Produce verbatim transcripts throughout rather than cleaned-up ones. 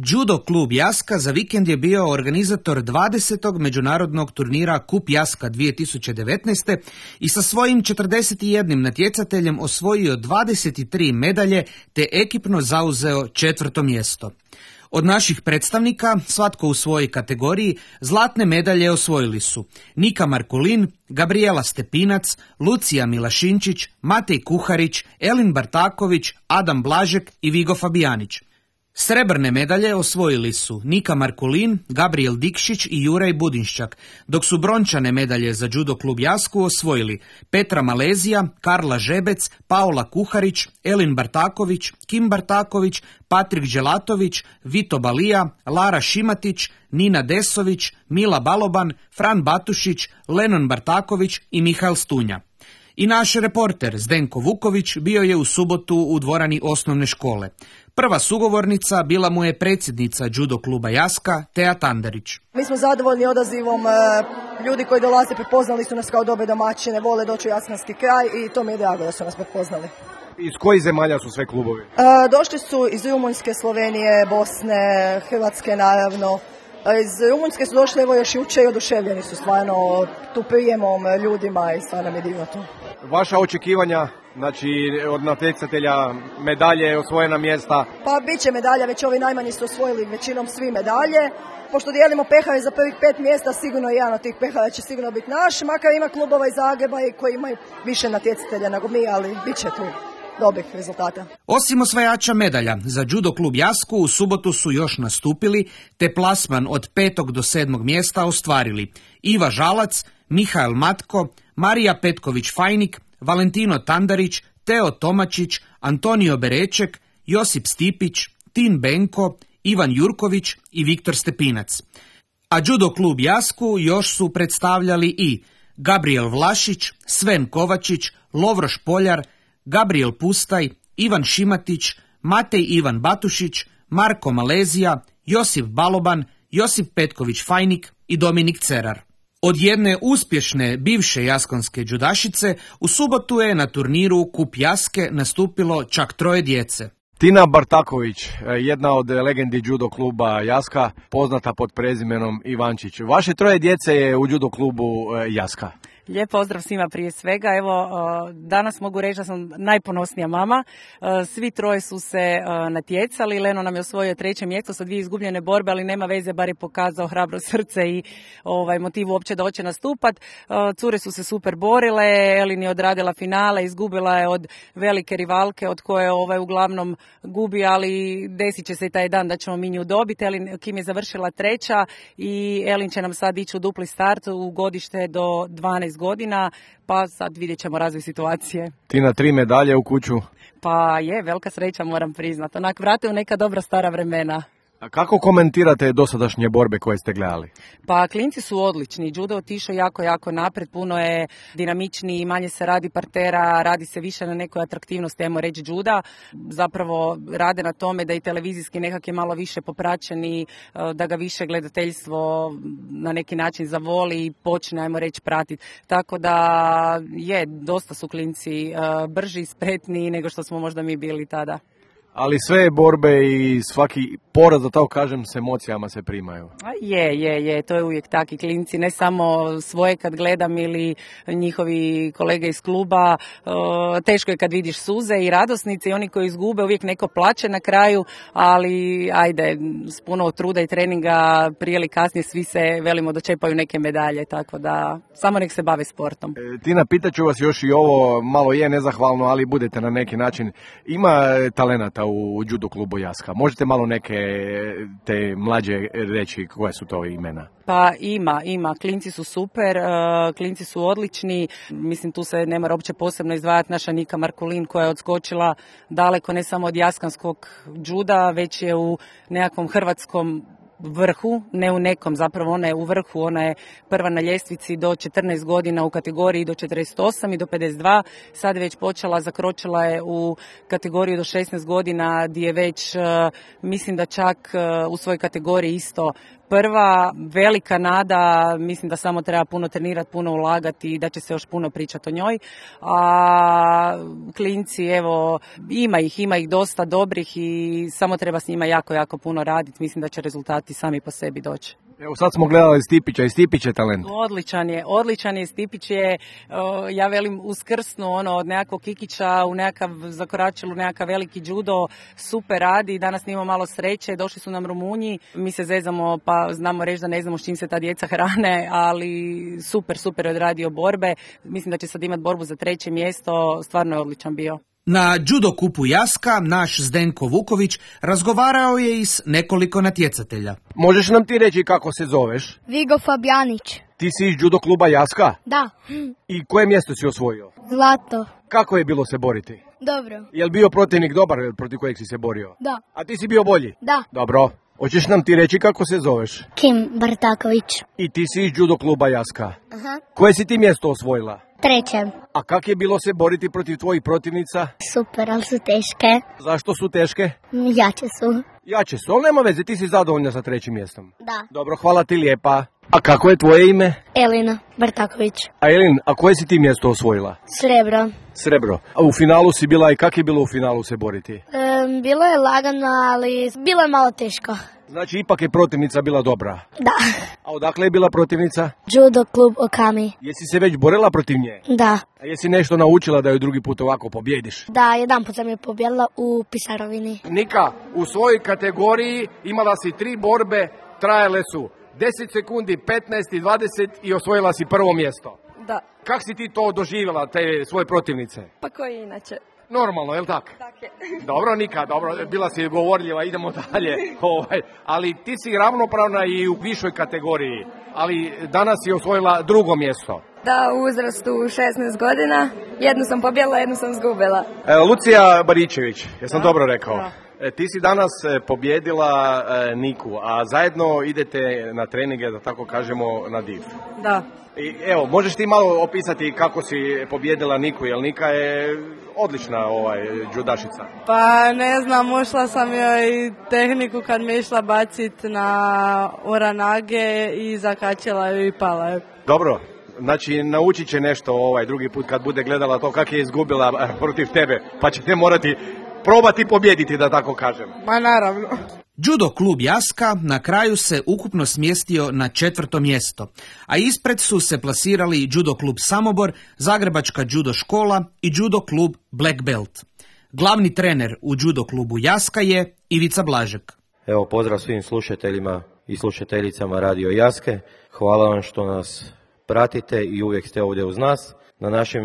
Judo klub Jaska za vikend je bio organizator dvadesetog međunarodnog turnira Kup Jaska dvije tisuće devetnaeste. i sa svojim četrdeset jednim natjecateljem osvojio dvadeset tri medalje te ekipno zauzeo četvrto mjesto. Od naših predstavnika, svatko u svojoj kategoriji, zlatne medalje osvojili su Nika Markulin, Gabriela Stepinac, Lucija Milašinčić, Matej Kuharić, Elin Bartaković, Adam Blažek i Vigo Fabijanić. Srebrne medalje osvojili su Nika Markulin, Gabriel Dikšić i Juraj Budinščak, dok su brončane medalje za Judo klub Jasku osvojili Petra Malezija, Karla Žebec, Paola Kuharić, Elin Bartaković, Kim Bartaković, Patrik Đelatović, Vito Balija, Lara Šimatić, Nina Desović, Mila Baloban, Fran Batušić, Lenon Bartaković i Mihael Stunja. I naš reporter Zdenko Vuković bio je u subotu u dvorani osnovne škole. Prva sugovornica bila mu je predsjednica Judo kluba Jaska, Teja Tandarić. Mi smo zadovoljni odazivom, ljudi koji dolaze prepoznali su nas kao dobre domaćine, vole doći u Jaskanski kraj i to mi je drago da su nas prepoznali. Iz kojih zemalja su sve klubovi? Došli su iz Rumunjske, Slovenije, Bosne, Hrvatske naravno. Iz Rumunjske su došli evo još jučer i oduševljeni su stvarno tu prijemom ljudima i stvarno mi je divno to. Vaša očekivanja, znači od natjecatelja, medalje, osvojena mjesta? Pa bit će medalja, već ovi najmanji su osvojili većinom svi medalje. Pošto dijelimo pehare za prvih pet mjesta, sigurno jedan od tih pehara će sigurno biti naš, makar ima klubova iz Zagreba i koji imaju više natjecatelja nego mi, ali bit će tu dobrih rezultata. Osim osvajača medalja, za Judo klub Jasku u subotu su još nastupili, te plasman od petog do sedmog mjesta ostvarili Iva Žalac, Mihael Matko, Marija Petković-Fajnik, Valentino Tandarić, Teo Tomačić, Antonio Bereček, Josip Stipić, Tin Benko, Ivan Jurković i Viktor Stepinac. A Judo klub Jasku još su predstavljali i Gabriel Vlašić, Sven Kovačić, Lovro Špoljar, Gabriel Pustaj, Ivan Šimatić, Matej Ivan Batušić, Marko Malezija, Josip Baloban, Josip Petković-Fajnik i Dominik Cerar. Od jedne uspješne bivše jaskonske džudašice u subotu je na turniru Kup Jaske nastupilo čak troje djece. Tina Bartaković, jedna od legendi Judo kluba Jaska, poznata pod prezimenom Ivančić. Vaše troje djece je u Judo klubu Jaska. Lijep pozdrav svima prije svega. Evo, danas mogu reći da sam najponosnija mama. Svi troje su se natjecali. Leno nam je osvojio treće mjesto sa dvije izgubljene borbe, ali nema veze, bar je pokazao hrabro srce i ovaj, motiv uopće da hoće nastupat. Cure su se super borile, Elin je odradila finale, izgubila je od velike rivalke od koje ovaj, uglavnom gubi, ali desit će se i taj dan da ćemo mi nju dobiti. Elin, Kim je završila treća i Elin će nam sad ići u dupli start u godište do dvanaest godina, pa sad vidjet ćemo razvoj situacije. Tina, tri medalje u kuću. Pa je, velika sreća moram priznati. Onak vrate u neka dobra stara vremena. A kako komentirate dosadašnje borbe koje ste gledali? Pa klinci su odlični. Judo otišao jako, jako napred. Puno je dinamičniji, manje se radi partera, radi se više na nekoj atraktivnosti, ajmo reći, juda. Zapravo rade na tome da i televizijski nekak je malo više popraćeni, da ga više gledateljstvo na neki način zavoli i počne, ajmo reći, pratiti. Tako da je, dosta su klinci brži i spretniji nego što smo možda mi bili tada. Ali sve borbe i svaki poraz, da tako kažem, s emocijama se primaju. Je, je, je, to je uvijek taki klinci, ne samo svoje kad gledam ili njihovi kolege iz kluba, teško je kad vidiš suze i radosnice i oni koji izgube, uvijek neko plače na kraju, ali ajde, s puno truda i treninga prije ili kasnije svi se, velimo, dočepaju neke medalje, tako da samo nek se bave sportom. E, Tina, pitaću vas još i ovo, malo je nezahvalno, ali budete na neki način, ima talenata u Judo klubu Jaska. Možete malo neke te mlađe reći koje su to imena? Pa ima, ima. Klinci su super, klinci su odlični. Mislim, tu se ne mora uopće posebno izdvajati naša Nika Markulin koja je odskočila daleko ne samo od jaskanskog juda, već je u nekakvom hrvatskom vrhu, ne u nekom, zapravo ona je u vrhu, ona je prva na ljestvici do četrnaest godina u kategoriji do četrdeset osam i do pedeset dva, sad je već počela, zakročila je u kategoriju do šesnaest godina gdje je već, mislim da čak u svojoj kategoriji isto prva velika nada, mislim da samo treba puno trenirati, puno ulagati i da će se još puno pričati o njoj. A klinci, evo, ima ih, ima ih dosta dobrih i samo treba s njima jako, jako puno raditi. Mislim da će rezultati sami po sebi doći. Evo sad smo gledali Stipića i Stipić je talent. Odličan je, odličan je. Stipić je, o, ja velim, uskrsnu ono, od nekakvog kikića u nekakav, zakoračilo nekakav veliki judo, super radi. Danas imamo malo sreće, došli su nam Rumunji, mi se zezamo pa znamo reći da ne znamo s čim se ta djeca hrane, ali super, super je odradio borbe. Mislim da će sad imati borbu za treće mjesto, stvarno je odličan bio. Na judo kupu Jaska naš Zdenko Vuković razgovarao je i s nekoliko natjecatelja. Možeš nam ti reći kako se zoveš? Vigo Fabjanić. Ti si iz judo kluba Jaska? Da. I koje mjesto si osvojio? Zlato. Kako je bilo se boriti? Dobro. Je li bio protivnik dobar protiv kojeg si se borio? Da. A ti si bio bolji? Da. Dobro. Hoćeš nam ti reći kako se zoveš? Kim Bartaković. I ti si iz judo kluba Jaska. Aha. Koje si ti mjesto osvojila? Treće. A kak je bilo se boriti protiv tvojih protivnica? Super, ali su teške. Zašto su teške? Jače su. Jače su, ali nema veze, ti si zadovoljna sa trećim mjestom. Da. Dobro, hvala ti lijepa. A kako je tvoje ime? Elina Bartaković. A Elin, a koje si ti mjesto osvojila? Srebro. Srebro. A u finalu si bila i kak je bilo u finalu se boriti? Um, bilo je lagano, ali bilo je malo teško. Znači, ipak je protivnica bila dobra. Da. A odakle je bila protivnica? Judo klub Okami. Jesi se već borila protiv nje? Da. A jesi nešto naučila da ju drugi put ovako pobjediš? Da, jedan put sam je pobjedila u Pisarovini. Nika, u svojoj kategoriji imala si tri borbe, trajale su deset sekundi, petnaest i dvadeset i osvojila si prvo mjesto. Da. Kak si ti to doživjela, te svoje protivnice? Pa koji inače? Normalno, je li tak? Tak je. Dobro, Nika, dobro, bila si govorljiva, idemo dalje. Ovaj, ali ti si ravnopravna i u višoj kategoriji, ali danas si osvojila drugo mjesto. Da, u uzrastu šesnaest godina, jednu sam pobjedila, jednu sam zgubila. E, Lucija Baričević, jesam Da. dobro rekao? Da. E, ti si danas e, pobjedila e, Niku, a zajedno idete na treninge, da tako kažemo, na div. Da. I, evo, možeš ti malo opisati kako si pobjedila Niku, jer Nika je odlična ovaj, judašica. Pa ne znam, ušla sam joj tehniku kad me išla bacit na uranage i zakačila ju i pala je. Dobro, znači naučit će nešto ovaj drugi put kad bude gledala to kako je izgubila eh, protiv tebe, pa ćete morati probati pobjediti, da tako kažem. Ma naravno. Judo klub Jaska na kraju se ukupno smjestio na četvrto mjesto, a ispred su se plasirali Judo klub Samobor, Zagrebačka judo škola i Judo klub Black Belt. Glavni trener u Judo klubu Jaska je Ivica Blažek. Evo, pozdrav svim slušateljima i slušateljicama Radio Jaske. Hvala vam što nas pratite i uvijek ste ovdje uz nas. Na našem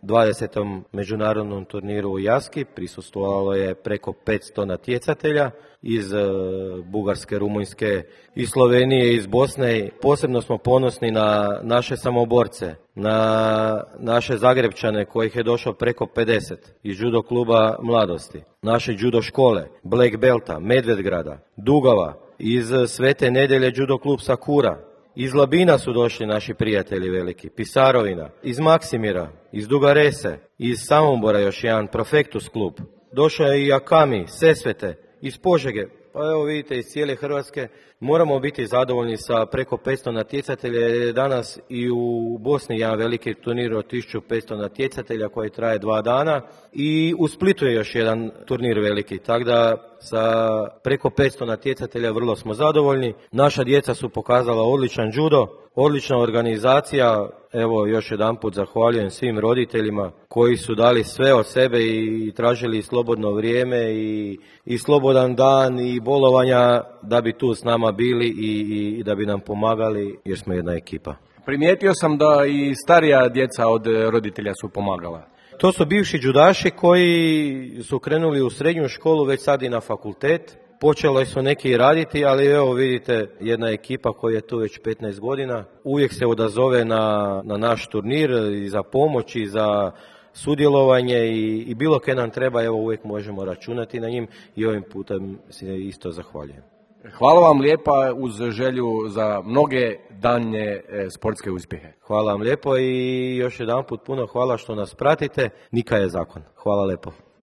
dvadesetom međunarodnom turniru u Jaski prisustvovalo je preko petsto natjecatelja iz e, Bugarske, Rumunjske i Slovenije i iz Bosne. Posebno smo ponosni na naše samoborce, na naše Zagrebčane kojih je došlo preko pedeset iz judo kluba Mladosti, naše judo škole, Black Belta, Medvedgrada, Dugova, iz Svete Nedjelje judo klub Sakura. Iz Labina su došli naši prijatelji veliki, Pisarovina, iz Maksimira, iz Dugarese, iz Samobora još jedan Profektus klub. Došao je i Akami, Sesvete, iz Požege, pa evo vidite iz cijele Hrvatske. Moramo biti zadovoljni sa preko petsto natjecatelja, jer je danas i u Bosni jedan veliki turnir od tisuću petsto natjecatelja koji traje dva dana i u Splitu je još jedan turnir veliki, tako da sa preko petsto natjecatelja vrlo smo zadovoljni. Naša djeca su pokazala odličan judo, odlična organizacija. Evo još jedanput zahvaljujem svim roditeljima koji su dali sve od sebe i tražili slobodno vrijeme i, i slobodan dan i bolovanja da bi tu s nama bili i, i da bi nam pomagali jer smo jedna ekipa. Primijetio sam da i starija djeca od roditelja su pomagala. To su bivši judaši koji su krenuli u srednju školu, već sad i na fakultet. Počelo su neki raditi, ali evo vidite jedna ekipa koja je tu već petnaest godina. Uvijek se odazove na, na naš turnir i za pomoć i za sudjelovanje i, i bilo kaj nam treba, evo uvijek možemo računati na njim i ovim putem se isto zahvaljujem. Hvala vam lijepa uz želju za mnoge daljnje e, sportske uspjehe. Hvala vam lijepo i još jedanput puno hvala što nas pratite. Nika je zakon. Hvala lijepo.